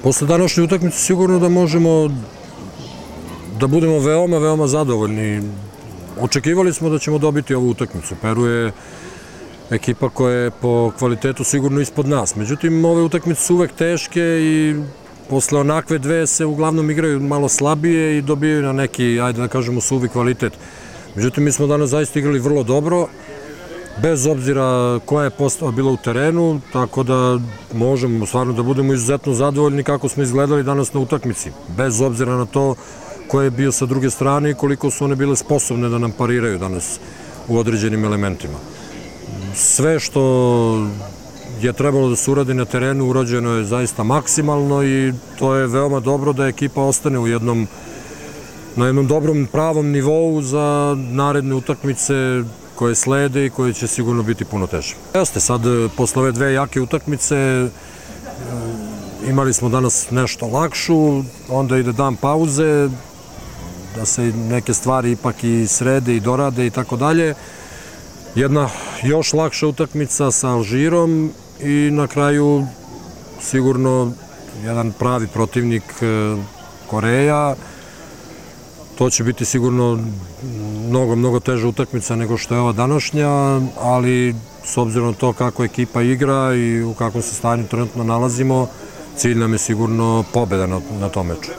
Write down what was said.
Posle današnje utakmice sigurno da možemo da budemo veoma, veoma zadovoljni. Očekivali smo da ćemo dobiti ovu utakmicu. Peru je ekipa koja je po kvalitetu sigurno ispod nas. Međutim, ove utakmice su uvek teške i posle onakve dve se uglavnom igraju malo slabije i dobijaju na neki, ajde da kažemo, suvi kvalitet. Međutim, mi smo danas zaista igrali vrlo dobro, bez obzira koja je postava bila u terenu, tako da možemo stvarno da budemo izuzetno zadovoljni kako smo izgledali danas na utakmici, bez obzira na to ko je bio sa druge strane i koliko su one bile sposobne da nam pariraju danas u određenim elementima. Sve što je trebalo da se uradi na terenu urađeno je zaista maksimalno i to je veoma dobro da ekipa ostane na jednom dobrom pravom nivou za naredne utakmice koje slede i koje će sigurno biti puno teže. Jeste, sad posle ove dve jake utakmice imali smo danas nešto lakšu, onda ide dan pauze, da se neke stvari ipak i srede i dorade i tako dalje. Jedna još lakša utakmica sa Alžirom i na kraju sigurno jedan pravi protivnik Koreja. To će biti sigurno mnogo, mnogo teža utakmica nego što je ova današnja, ali s obzirom na to kako ekipa igra i u kakvom se stanju trenutno nalazimo, cilj nam je sigurno pobeda na tom meču.